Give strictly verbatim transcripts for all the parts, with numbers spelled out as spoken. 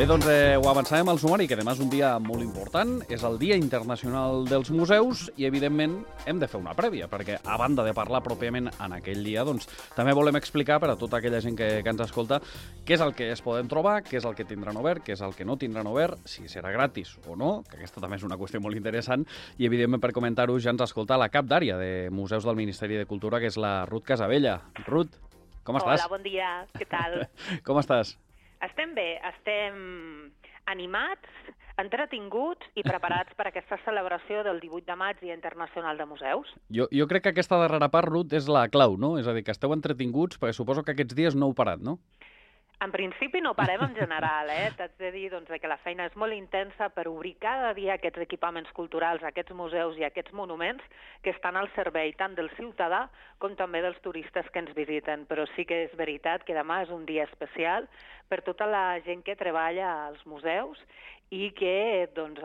Bé, doncs eh, ho avançàvem al sumari, que demà és un dia molt important, és el Dia Internacional dels Museus i, evidentment, hem de fer una prèvia, perquè, a banda de parlar pròpiament en aquell dia, doncs, també volem explicar per a tota aquella gent que, que ens escolta què és el que es poden trobar, què és el que tindran obert, què és el que no tindran obert, si serà gratis o no, que aquesta també és una qüestió molt interessant, i, evidentment, per comentar-ho, ja ens escolta la cap d'àrea de Museus del Ministeri de Cultura, que és la Ruth Casabella. Ruth, com estàs? Hola, bon dia, què tal? Com estàs? Estem bé, estem animats, entretinguts i preparats per aquesta celebració del divuit de maig, Dia Internacional de Museus. Jo, jo crec que aquesta darrera part, Ruth, és la clau, no? És a dir, que esteu entretinguts, perquè suposo que aquests dies no heu parat, no? En principi no parem en general, eh? T'haig de dir doncs, que la feina és molt intensa per obrir cada dia aquests equipaments culturals, aquests museus i aquests monuments que estan al servei tant del ciutadà com també dels turistes que ens visiten. Però sí que és veritat que demà és un dia especial per tota la gent que treballa als museus i que, doncs,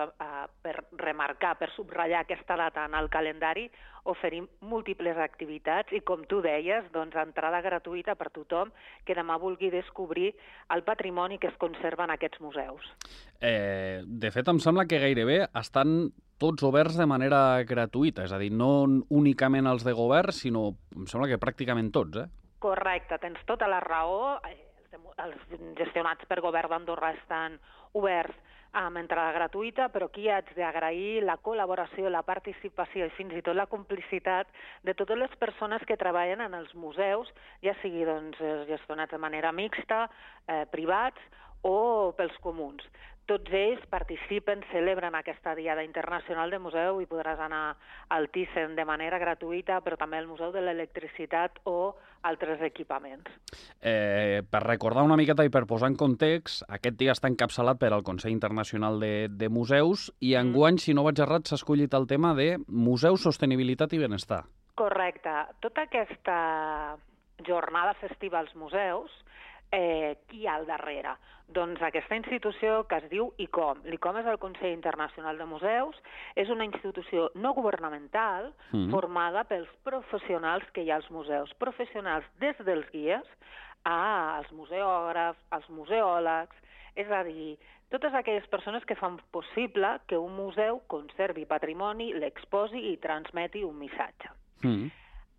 per remarcar, per subratllar aquesta data en el calendari, oferim múltiples activitats i, com tu deies, doncs, entrada gratuïta per tothom que demà vulgui descobrir el patrimoni que es conserva en aquests museus. Eh, de fet, em sembla que gairebé estan tots oberts de manera gratuïta, és a dir, no únicament els de govern, sinó, em sembla que pràcticament tots, eh? Correcte, tens tota la raó. Els gestionats per govern d'Andorra estan oberts amb entrada gratuïta, però aquí haig d'agrair la col·laboració, la participació i fins i tot la complicitat de totes les persones que treballen en els museus, ja sigui doncs, gestionats de manera mixta, eh, privats o pels comuns. Tots ells participen, celebren aquesta Diada Internacional de Museu i podràs anar al Thyssen de manera gratuïta, però també al Museu de l'Electricitat o altres equipaments. Eh, per recordar una miqueta i per posar en context, aquest dia està encapçalat per al Consell Internacional de, de Museus i enguany, si no vaig errat, s'ha escollit el tema de Museus, Sostenibilitat i Benestar. Correcte. Tota aquesta jornada festiva als museus, Eh, qui hi ha al darrere? Doncs aquesta institució que es diu I C O M. L'I C O M és el Consell Internacional de Museus, és una institució no governamental mm. formada pels professionals que hi ha als museus, professionals des dels guies als museògrafs, als museòlegs, és a dir, totes aquelles persones que fan possible que un museu conservi patrimoni, l'exposi i transmeti un missatge. Mm.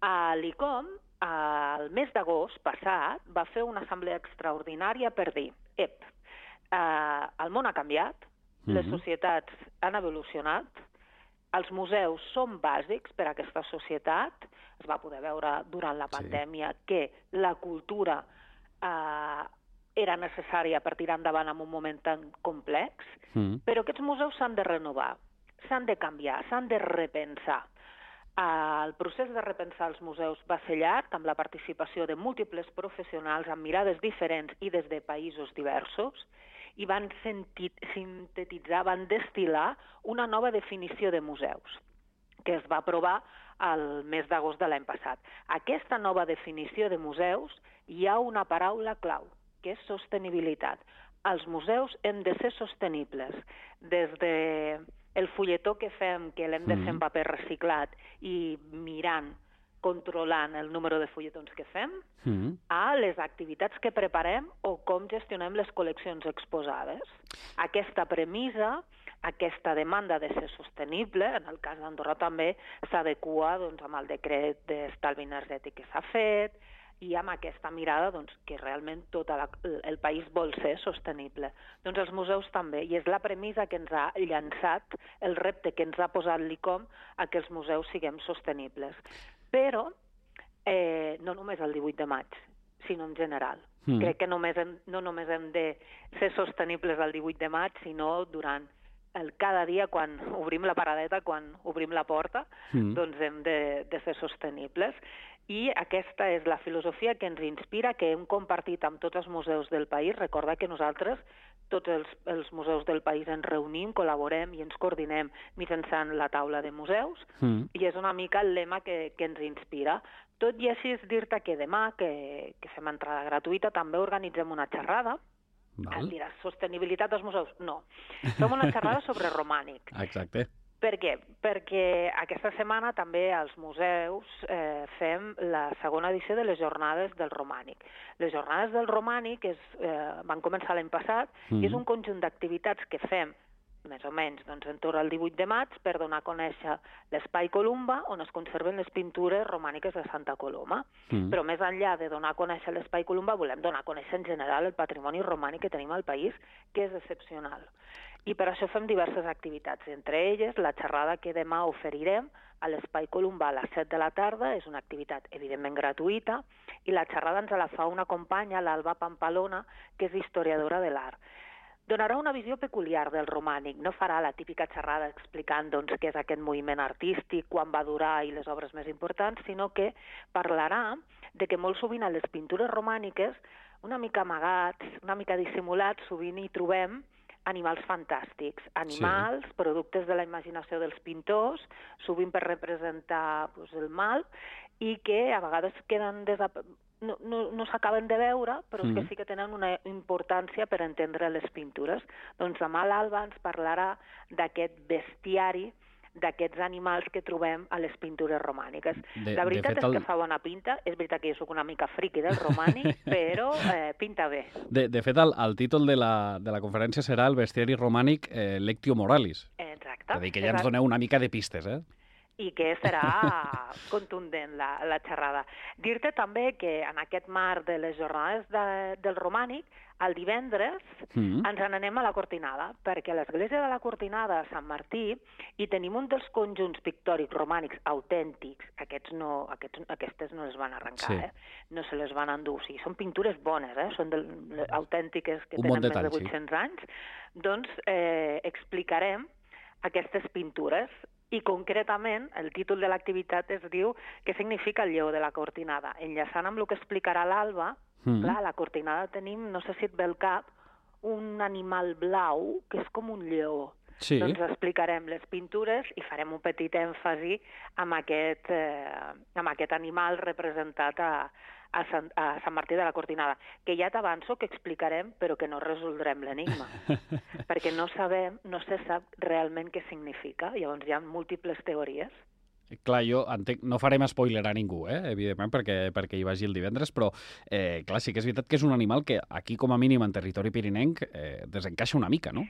A l'I C O M, el mes d'agost passat, va fer una assemblea extraordinària per dir, ep, eh, el món ha canviat, mm-hmm. les societats han evolucionat, els museus són bàsics per a aquesta societat, es va poder veure durant la pandèmia sí. que la cultura eh, era necessària per tirar endavant en un moment tan complex, mm. però aquests museus s'han de renovar, s'han de canviar, s'han de repensar. El procés de repensar els museus va ser llarg, amb la participació de múltiples professionals amb mirades diferents i des de països diversos, i van sintetitzar, van destil·lar una nova definició de museus, que es va aprovar el mes d'agost de l'any passat. Aquesta nova definició de museus hi ha una paraula clau, que és sostenibilitat. Els museus hem de ser sostenibles, des de el fulletó que fem, que l'hem de fer en paper reciclat i mirant, controlant el número de fulletons que fem, mm. a les activitats que preparem o com gestionem les col·leccions exposades. Aquesta premissa, aquesta demanda de ser sostenible, en el cas d'Andorra també s'adequa doncs, amb el decret d'estalvi energètic que s'ha fet, i amb aquesta mirada doncs, que realment tot la, el país vol ser sostenible. Doncs els museus també, i és la premissa que ens ha llançat, el repte que ens ha posat l'I C O M a que els museus siguem sostenibles. Però eh, no només el divuit de maig, sinó en general. Mm. Crec que només hem, no només hem de ser sostenibles el divuit de maig, sinó durant el, cada dia quan obrim la paradeta, quan obrim la porta, mm. doncs hem de, de ser sostenibles. I aquesta és la filosofia que ens inspira, que hem compartit amb tots els museus del país. Recorda que nosaltres, tots els, els museus del país, ens reunim, col·laborem i ens coordinem mitjançant la taula de museus, mm. i és una mica el lema que, que ens inspira. Tot i així és dir-te que demà, que, que fem entrada gratuïta, també organitzem una xerrada. Val. Diràs, sostenibilitat dels museus? No. Fem una xerrada sobre romànic. Exacte. Per què? Perquè aquesta setmana també als museus eh, fem la segona edició de les Jornades del Romànic. Les Jornades del Romànic és, eh, van començar l'any passat mm. i és un conjunt d'activitats que fem més o menys doncs, en torn al divuit de maig per donar a conèixer l'Espai Columba on es conserven les pintures romàniques de Santa Coloma. Mm. Però més enllà de donar a conèixer l'Espai Columba volem donar a conèixer en general el patrimoni romànic que tenim al país, que és excepcional. I per això fem diverses activitats, entre elles la xerrada que demà oferirem a l'Espai Columba a les set de la tarda, és una activitat evidentment gratuïta, i la xerrada ens la fa una companya, l'Alba Pampalona, que és historiadora de l'art. Donarà una visió peculiar del romànic, no farà la típica xerrada explicant doncs, què és aquest moviment artístic, quan va durar i les obres més importants, sinó que parlarà de que molt sovint a les pintures romàniques, una mica amagats, una mica dissimulats, sovint hi trobem animals fantàstics, animals, sí. productes de la imaginació dels pintors, sovint per representar doncs, el mal, i que a vegades queden desap... no, no, no s'acaben de veure, però mm. que sí que tenen una importància per entendre les pintures. Doncs demà l'Alba ens parlarà d'aquest bestiari, d'aquests animals que trobem a les pintures romàniques. De, la veritat és el... que fa bona pinta, és veritat que jo soc una mica friqui del romànic, però eh, pinta bé. De, de fet, el, el títol de la, de la conferència serà el bestiari romànic eh, Lectio Moralis. Exacte. És a dir, que ja ens doneu una mica de pistes, eh? I que serà contundent la, la xerrada. Dir-te també que en aquest marc de les jornades de, del romànic, el divendres mm. ens n'anem a la Cortinada, perquè a l'església de la Cortinada a Sant Martí hi tenim un dels conjunts pictòrics romànics autèntics, aquests no, aquests, aquestes no les van arrencar, sí. eh? no se les van endur, o sigui, són pintures bones, eh? són del, autèntiques que un tenen detall, més de vuit-cents sí. anys, doncs eh, explicarem aquestes pintures. I concretament el títol de l'activitat es diu què significa el lleó de la Cortinada. Enllaçant amb el que explicarà l'Alba, mm. clar, a la Cortinada tenim, no sé si et ve el cap, un animal blau que és com un lleó. Sí. Doncs explicarem les pintures i farem un petit èmfasi amb aquest, eh, amb aquest animal representat a, a, Sant, a Sant Martí de la Cortinada, que ja t'avanço que explicarem però que no resoldrem l'enigma, perquè no sabem, no se sap realment què significa, llavors hi ha múltiples teories. Clar, jo entenc, no farem spoiler a ningú, eh, evidentment, perquè, perquè hi vagi el divendres, però eh, clar, sí que és veritat que és un animal que aquí, com a mínim, en territori pirinenc, eh, desencaixa una mica, no?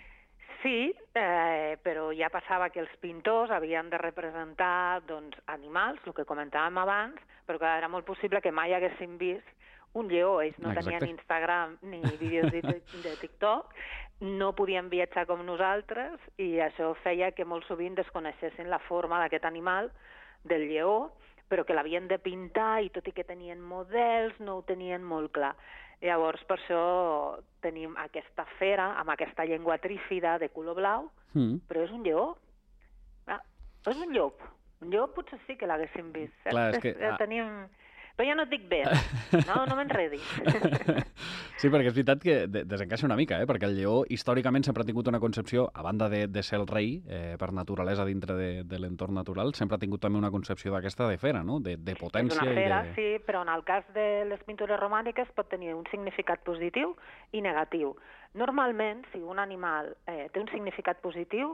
Sí, eh, però ja passava que els pintors havien de representar doncs, animals, el que comentàvem abans, però que era molt possible que mai haguessin vist un lleó. Ells no Exacte. tenien Instagram ni vídeos de, de TikTok, no podien viatjar com nosaltres i això feia que molt sovint desconeixessin la forma d'aquest animal, del lleó, però que l'havien de pintar i tot i que tenien models no ho tenien molt clar. Llavors, per això tenim aquesta fera amb aquesta llengua trífida de color blau, mm. però és un lleó. Ah, és un llop. Un llop potser sí que l'haguéssim vist. Clar, és que... Ah. Tenim... Però ja no et dic bé, no, no m'enredis. Sí, perquè és veritat que desencaixa una mica, eh? perquè el lleó històricament sempre ha tingut una concepció, a banda de, de ser el rei eh, per naturalesa dintre de, de l'entorn natural, sempre ha tingut també una concepció d'aquesta de fera, no? de, de potència. És una fera, i de... sí, però en el cas de les pintures romàniques pot tenir un significat positiu i negatiu. Normalment, si un animal eh, té un significat positiu,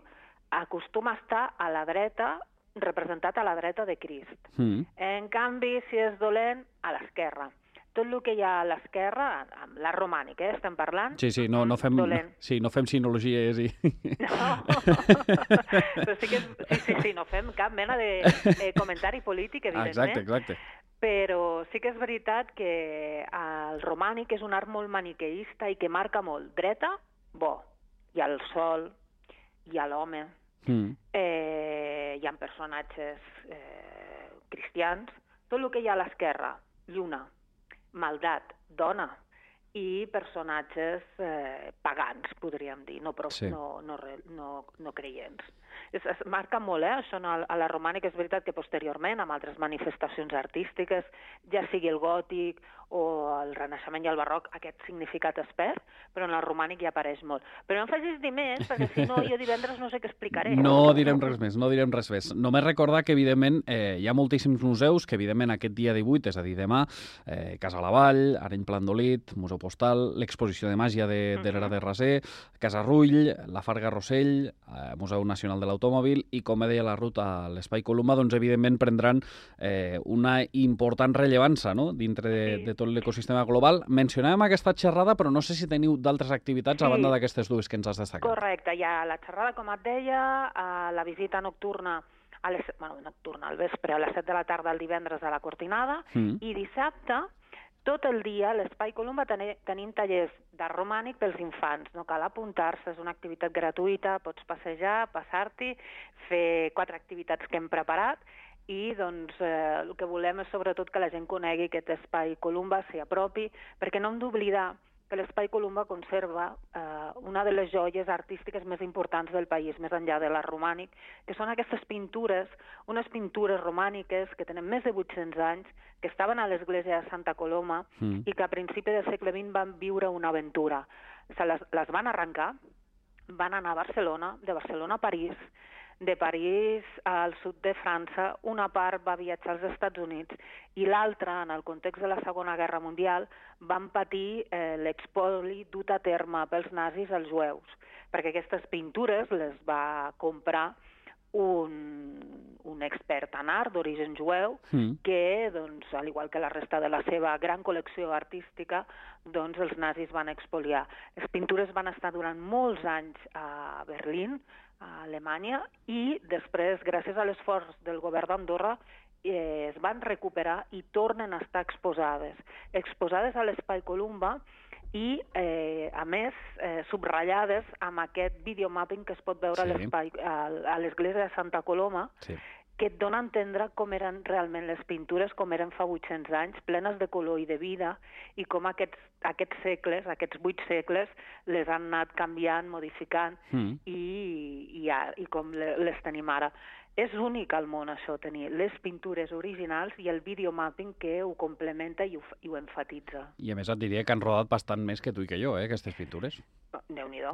acostuma a estar a la dreta, representat a la dreta de Crist. Mm. En canvi, si és dolent, a l'esquerra. Tot el que hi ha a l'esquerra, amb la romànica, eh, estem parlant... Sí, sí, no, no, fem, sí, no fem sinologies i... No, però sí que sí, sí, sí, no fem cap mena de eh, comentari polític, evidentment. Exacte, exacte. Però sí que és veritat que el romànic és un art molt maniqueista i que marca molt. Dreta, bo. Hi ha el sol, hi ha l'home, mm. eh, hi ha personatges eh, cristians. Tot el que hi ha a l'esquerra, lluna, maldat, dona, i personatges eh, pagans, podríem dir, no, sí. no, no, no, no creients. Es, es marca molt, eh, això a la romànica. És veritat que posteriorment, amb altres manifestacions artístiques, ja sigui el gòtic o el Renaixement i el Barroc, aquest significat es perd, però en el romànic ja apareix molt. Però no em facis dir més, perquè si no, jo divendres no sé què explicaré. No direm res més, no direm res més. Només recordar que, evidentment, eh, hi ha moltíssims museus que, evidentment, aquest dia divuit, és a dir, demà, eh, Casa la Vall, Areny Plandolit, Museu Postal, l'exposició de màgia de, de l'era de Raser, Casa Rull, la Farga Rossell, eh, Museu Nacional de l'Automòbil i, com deia la ruta a l'Espai Columba, doncs evidentment prendran eh, una important rellevància, no?, dintre de, sí. de tot l'ecosistema global. Mencionàvem aquesta xerrada, però no sé si teniu d'altres activitats sí. a banda d'aquestes dues que ens has destacat. Correcte, hi ha la xerrada, com et deia, la visita nocturna a les, bueno, nocturna, al vespre, a les set de la tarda el divendres a la Cortinada, mm. i dissabte, tot el dia, a l'Espai Columba ten tenim tallers d'art romànic pels infants. No cal apuntar-se, és una activitat gratuïta, pots passejar, passar-t'hi, fer quatre activitats que hem preparat, i doncs eh, el que volem és sobretot que la gent conegui aquest Espai Columba, s'hi apropi, perquè no hem d'oblidar que l'Espai Columba conserva eh, una de les joies artístiques més importants del país, més enllà de l'art romànic, que són aquestes pintures, unes pintures romàniques que tenen més de vuit-cents anys, que estaven a l'església de Santa Coloma mm. i que a principi del segle vint van viure una aventura. Se les, les van arrencar, van anar a Barcelona, de Barcelona a París, de París al sud de França, una part va viatjar als Estats Units i l'altra, en el context de la Segona Guerra Mundial, van patir eh, l'expoli dut a terme pels nazis als jueus, perquè aquestes pintures les va comprar un, un expert en art d'origen jueu mm. que, doncs, al igual que la resta de la seva gran col·lecció artística, doncs els nazis van expoliar. Les pintures van estar durant molts anys a Berlín, a Alemanya, i després, gràcies a l'esforç del govern d'Andorra, eh, es van recuperar i tornen a estar exposades. Exposades a l'Espai Columba i, eh, a més, eh, subratllades amb aquest videomapping que es pot veure sí. a l'espai, a, a l'església de Santa Coloma, sí. que et dona a entendre com eren realment les pintures, com eren fa vuit-cents anys, plenes de color i de vida, i com aquests, aquests segles, aquests vuit segles, les han anat canviant, modificant, mm. i, i, i com les tenim ara. És únic al món això, tenir les pintures originals i el videomapping que ho complementa i ho, i ho enfatitza. I a més et diria que han rodat bastant més que tu i que jo, eh, aquestes pintures. Déu-n'hi-do.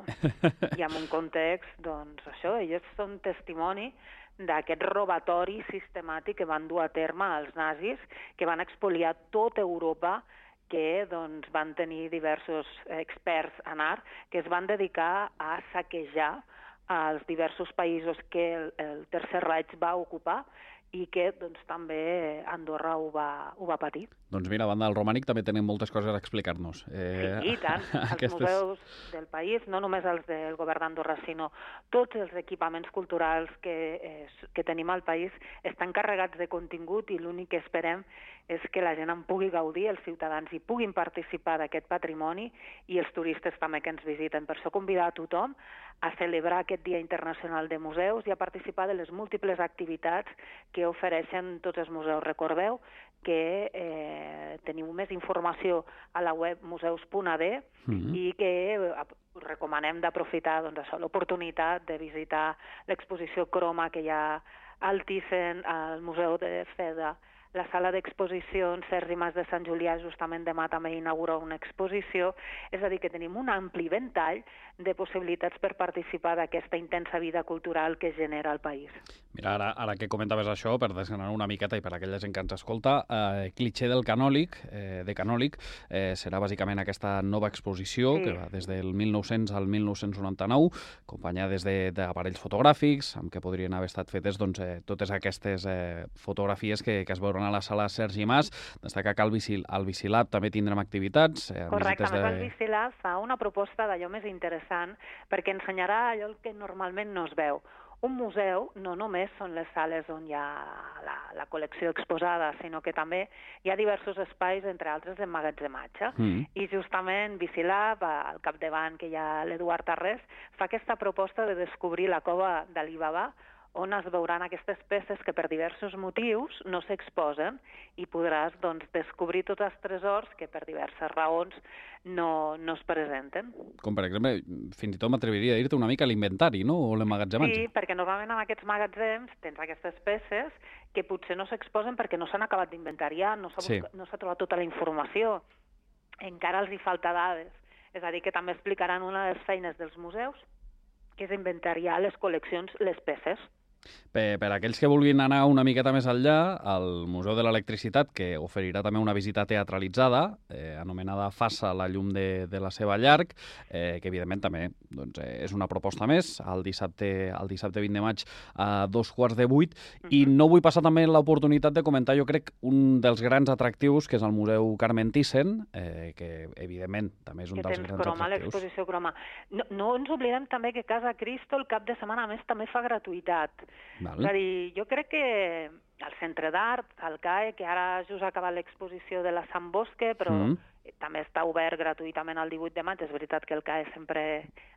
I en un context, doncs això, ells són testimoni d'aquest robatori sistemàtic que van dur a terme els nazis, que van expoliar tota Europa, que doncs, van tenir diversos experts en art que es van dedicar a saquejar als diversos països que el, el Tercer Reich va ocupar i que doncs, també Andorra ho va, ho va patir. Doncs mira, a banda del romànic també tenim moltes coses a explicar-nos. Eh, sí, i tant. Els aquestes... museus del país, no només els del govern d'Andorra, sinó tots els equipaments culturals que, eh, que tenim al país estan carregats de contingut i l'únic que esperem és que la gent en pugui gaudir, els ciutadans hi puguin participar d'aquest patrimoni i els turistes també que ens visiten. Per això convidar a tothom a celebrar aquest Dia Internacional de Museus i a participar de les múltiples activitats que ofereixen tots els museus. Recordeu que eh, teniu més informació a la web museus punt a d mm-hmm. i que eh, recomanem d'aprofitar doncs, això, l'oportunitat de visitar l'exposició Croma que hi ha al Thyssen, al Museu de Feda, la sala d'exposicions Sergi Mas de Sant Julià justament demà també inaugura una exposició, és a dir, que tenim un ampli ventall de possibilitats per participar d'aquesta intensa vida cultural que genera el país. Mira, ara, ara que comentaves això, per desgranar una miqueta i per aquella gent que ens escolta, eh, Cliché del Canòlic, eh, de Canòlic, eh, serà bàsicament aquesta nova exposició sí. que va des del mil nou-cents al mil nou-cents noranta-nou, acompanyada des d'aparells fotogràfics, amb què podrien haver estat fetes doncs, eh, totes aquestes eh, fotografies que, que es veuran a la sala Sergi Mas. Destacar que al, Vicil, al Vicilab també tindrem activitats. Eh, Correcte, a més de... el Vicilab fa una proposta d'allò més interessant perquè ensenyarà allò que normalment no es veu. Un museu no només són les sales on hi ha la, la col·lecció exposada, sinó que també hi ha diversos espais, entre altres d'emmagatzematge. Mm. I justament Vicilab, al capdavant que hi ha l'Eduard Tarrés, fa aquesta proposta de descobrir la cova d'Alibaba, on es veuran aquestes peces que per diversos motius no s'exposen i podràs doncs, descobrir tots els tresors que per diverses raons no, no es presenten. Com per exemple, fins i tot m'atreviria a dir-te una mica l'inventari, no? O l'emmagatzematge. Sí, perquè normalment en aquests magatzems tens aquestes peces que potser no s'exposen perquè no s'han acabat d'inventariar, no s'ha sí. no s'ha trobat tota la informació, encara els hi falta dades. És a dir, que també explicaran una de les feines dels museus, que és inventariar les col·leccions, les peces. Per, per aquells que vulguin anar una miqueta més enllà, el Museu de l'Electricitat, que oferirà també una visita teatralitzada, eh, anomenada Faça la llum de, de la seva llarg, eh, que evidentment també doncs, eh, és una proposta més, el dissabte, el dissabte vint de maig a dos quarts de vuit, uh-huh. I no vull passar també l'oportunitat de comentar, jo crec, un dels grans atractius, que és el Museu Carmen Thyssen, eh, que evidentment també és un que dels grans croma, atractius. l'exposició croma. No, no ens oblidem també que Casa Cristo el cap de setmana a més també fa gratuïtat. Val. És a dir, jo crec que el Centre d'Art, el C A E, que ara just ha acabat l'exposició de la Sant Bosque, però mm. també està obert gratuïtament el divuit de maig, és veritat que el C A E sempre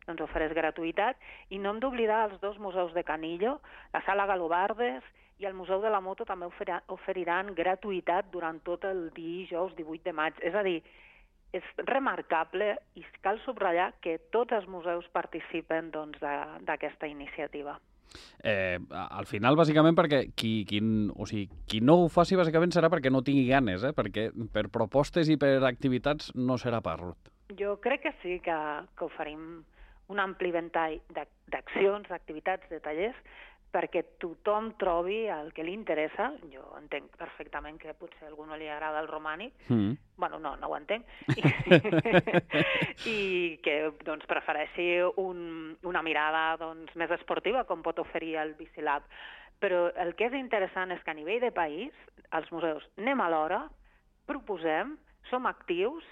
doncs, ofereix gratuïtat, i no hem d'oblidar els dos museus de Canillo, la Sala Galobardes i el Museu de la Moto també oferiran, oferiran gratuïtat durant tot el dijous divuit de maig. És a dir, és remarcable i cal subratllar que tots els museus participen doncs, d'aquesta iniciativa. Eh, al final, bàsicament, perquè qui, qui, o sigui, qui no ho faci, bàsicament, serà perquè no tingui ganes, eh? Perquè per propostes i per activitats no serà per Ruth. Jo crec que sí, que, que oferim un ampli ventall d'accions, d'activitats, de tallers, perquè tothom trobi el que li interessa. Jo entenc perfectament que potser a algú no li agrada el romànic, mm. bueno, no, no ho entenc, i, i que doncs, prefereixi un, una mirada doncs, més esportiva, com pot oferir el Bicilab. Però el que és interessant és que a nivell de país, els museus anem a l'hora, proposem, som actius,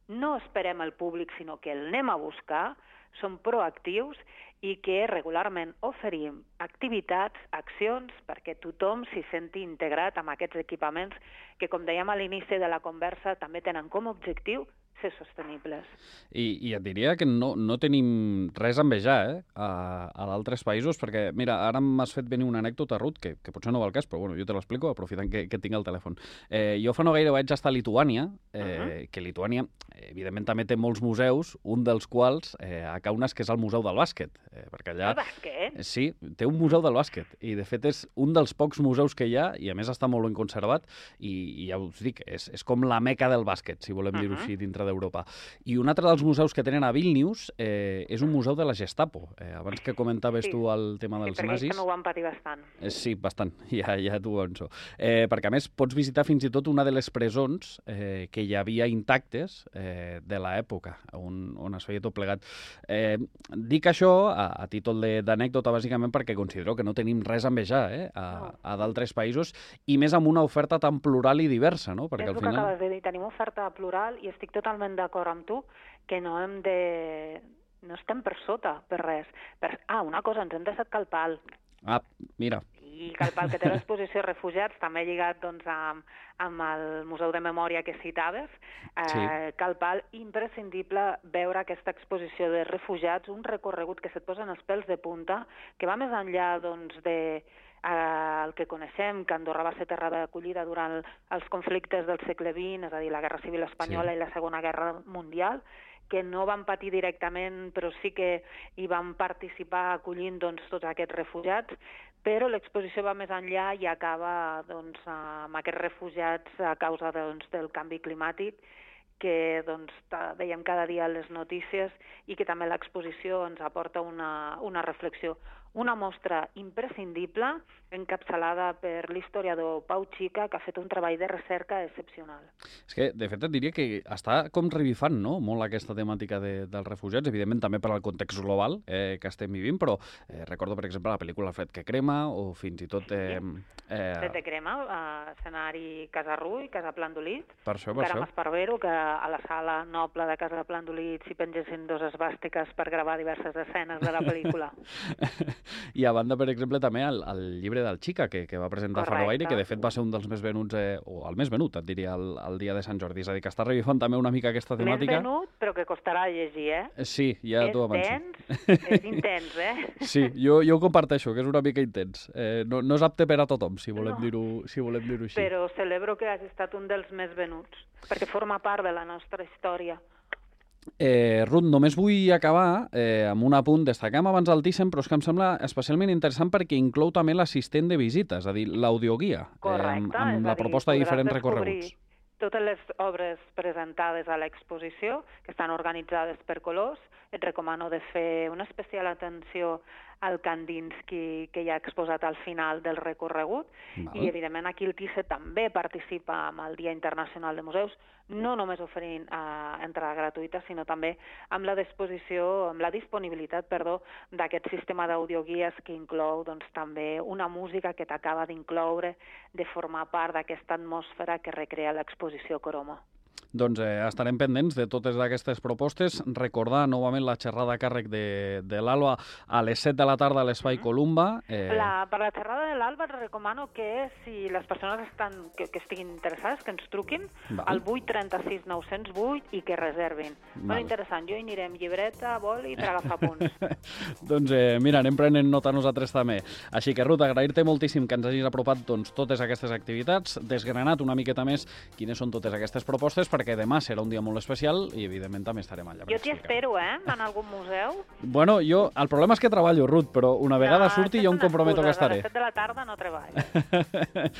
no esperem el públic, sinó que el anem a buscar, som proactius, i que regularment oferim activitats, accions, perquè tothom s'hi senti integrat amb aquests equipaments que, com dèiem a l'inici de la conversa, també tenen com a objectiu ser sostenibles. I, i et diria que no, no tenim res a envejar eh, a, a d'altres països, perquè, mira, ara m'has fet venir una anècdota, Ruth, que, que potser no va al cas, però bueno, jo te l'explico, aprofitant que, que tinc el telèfon. Eh, jo fa no gaire vaig estar a Lituània, eh, uh-huh. que Lituània, evidentment, també té molts museus, un dels quals, eh, a Kaunas, que és el Museu del Bàsquet. Eh, perquè allà... El bàsquet? Sí, té un museu del bàsquet, i de fet és un dels pocs museus que hi ha, i a més està molt ben conservat, i, i ja us dic, és, és com la meca del bàsquet, si volem uh-huh. dir-ho així, dintre d'Europa. I un altre dels museus que tenen a Vilnius eh, és un museu de la Gestapo. Eh, abans que comentaves sí. tu el tema dels sí, perquè nazis... Sí, perquè ho van patir bastant. Eh, sí, bastant, ja, ja t'ho avanço. Eh, perquè a més pots visitar fins i tot una de les presons eh, que hi havia intactes eh, de l'època, on, on es feia tot plegat. Eh, dic això a, a títol d'anècdota, bàsicament, perquè considero que no tenim res a envejar eh, a, no. a d'altres països, i més amb una oferta tan plural i diversa, no? Perquè és al el final... que acabes de dir, tenim oferta plural i estic totalment d'acord amb tu que no hem de... no estem per sota, per res. Per... Ah, una cosa, ens hem deixat Calpal. Ah, mira. I Calpal, que té l'exposició Refugiats, també lligat doncs, amb, amb el Museu de Memòria que citaves. Eh, sí. Calpal, imprescindible veure aquesta exposició de refugiats, un recorregut que se't posen els pèls de punta, que va més enllà doncs, de... Eh, el que coneixem, que Andorra va ser terra d'acollida durant els conflictes del segle vint, és a dir, la Guerra Civil Espanyola sí. i la Segona Guerra Mundial, que no van patir directament, però sí que hi van participar acollint doncs, tots aquests refugiats, però l'exposició va més enllà i acaba doncs, amb aquests refugiats a causa doncs, del canvi climàtic, que doncs, veiem cada dia les notícies i que també l'exposició ens aporta una, una reflexió. Una mostra imprescindible, encapçalada per l'historiador Pau Xica, que ha fet un treball de recerca excepcional. És que, de fet, et diria que està com revifant no? molt aquesta temàtica de, dels refugiats, evidentment també per al context global eh, que estem vivint, però eh, recordo, per exemple, la pel·lícula Fred que crema, o fins i tot... Eh, eh... Fred que crema, eh, escenari Casa Rull, Casa Plandolit, per això, per Caram Esparvero, que a la sala noble de Casa Plandolit s'hi pengessin dos esbàstiques per gravar diverses escenes de la pel·lícula. I a banda, per exemple, també el, el llibre del Xica, que, que va presentar fa no gaire, que de fet va ser un dels més venuts, eh, o el més venut, et diria, el, el dia de Sant Jordi. És a dir, que està revifant també una mica aquesta temàtica. Més venut, però que costarà llegir, eh? Sí, ja t'ho avanço. És tens, és intens, eh? Sí, jo, jo ho comparteixo, que és una mica intens. Eh, no, no és apte per a tothom, si volem no. dir-ho si volem dir-ho així. Però celebro que hagi estat un dels més venuts, perquè forma part de la nostra història. Eh, Ruth, només vull acabar eh, amb un apunt. Destacam abans el Thyssen, però és que em sembla especialment interessant perquè inclou també l'assistent de visita, és a dir, l'audioguia, eh, amb, amb la proposta de diferents recorreguts. Totes les obres presentades a l'exposició, que estan organitzades per colors, et recomano de fer una especial atenció el Kandinsky que hi ha exposat al final del recorregut. Val. I, evidentment, aquí el T I C E també participa amb el Dia Internacional de Museus, no només oferint eh, entrada gratuïta, sinó també amb la disposició, amb la disponibilitat, perdó, d'aquest sistema d'audioguies que inclou doncs, també una música que t'acaba d'incloure, de formar part d'aquesta atmosfera que recrea l'exposició Croma. Doncs eh, estarem pendents de totes aquestes propostes. Recordar novament la xerrada a càrrec de, de l'Alba a les set de la tarda a l'Espai mm-hmm. Columba. Eh... La, per la xerrada de l'Alba et recomano que si les persones estan, que, que estiguin interessades, que ens truquin Val. al vuit trenta sis nou zero vuit i que reservin. Val. Molt interessant. Jo hi anirem llibreta, boli per agafar punts. Doncs eh, mira, anem prenent nota nosaltres també. Així que, Ruth, agrair-te moltíssim que ens hagis apropat doncs, totes aquestes activitats, desgranat una miqueta més quines són totes aquestes propostes, perquè demà serà un dia molt especial i, evidentment, també estarem allà. Jo t'hi espero, eh?, en algun museu. Bueno, jo, el problema és que treballo, Ruth, però una vegada no, surti jo em comprometo que estaré. A les set de la tarda no treballes.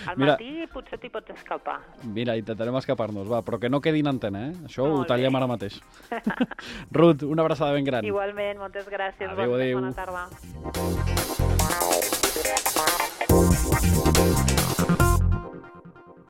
Al Mira, matí potser t'hi pots escapar. Mira, intentarem escapar-nos, va, però que no quedi en antena, eh? Això molt ho tallem bé. Ara mateix. Ruth, una abraçada ben gran. Igualment, moltes gràcies. Adéu, adéu. Bona tarda.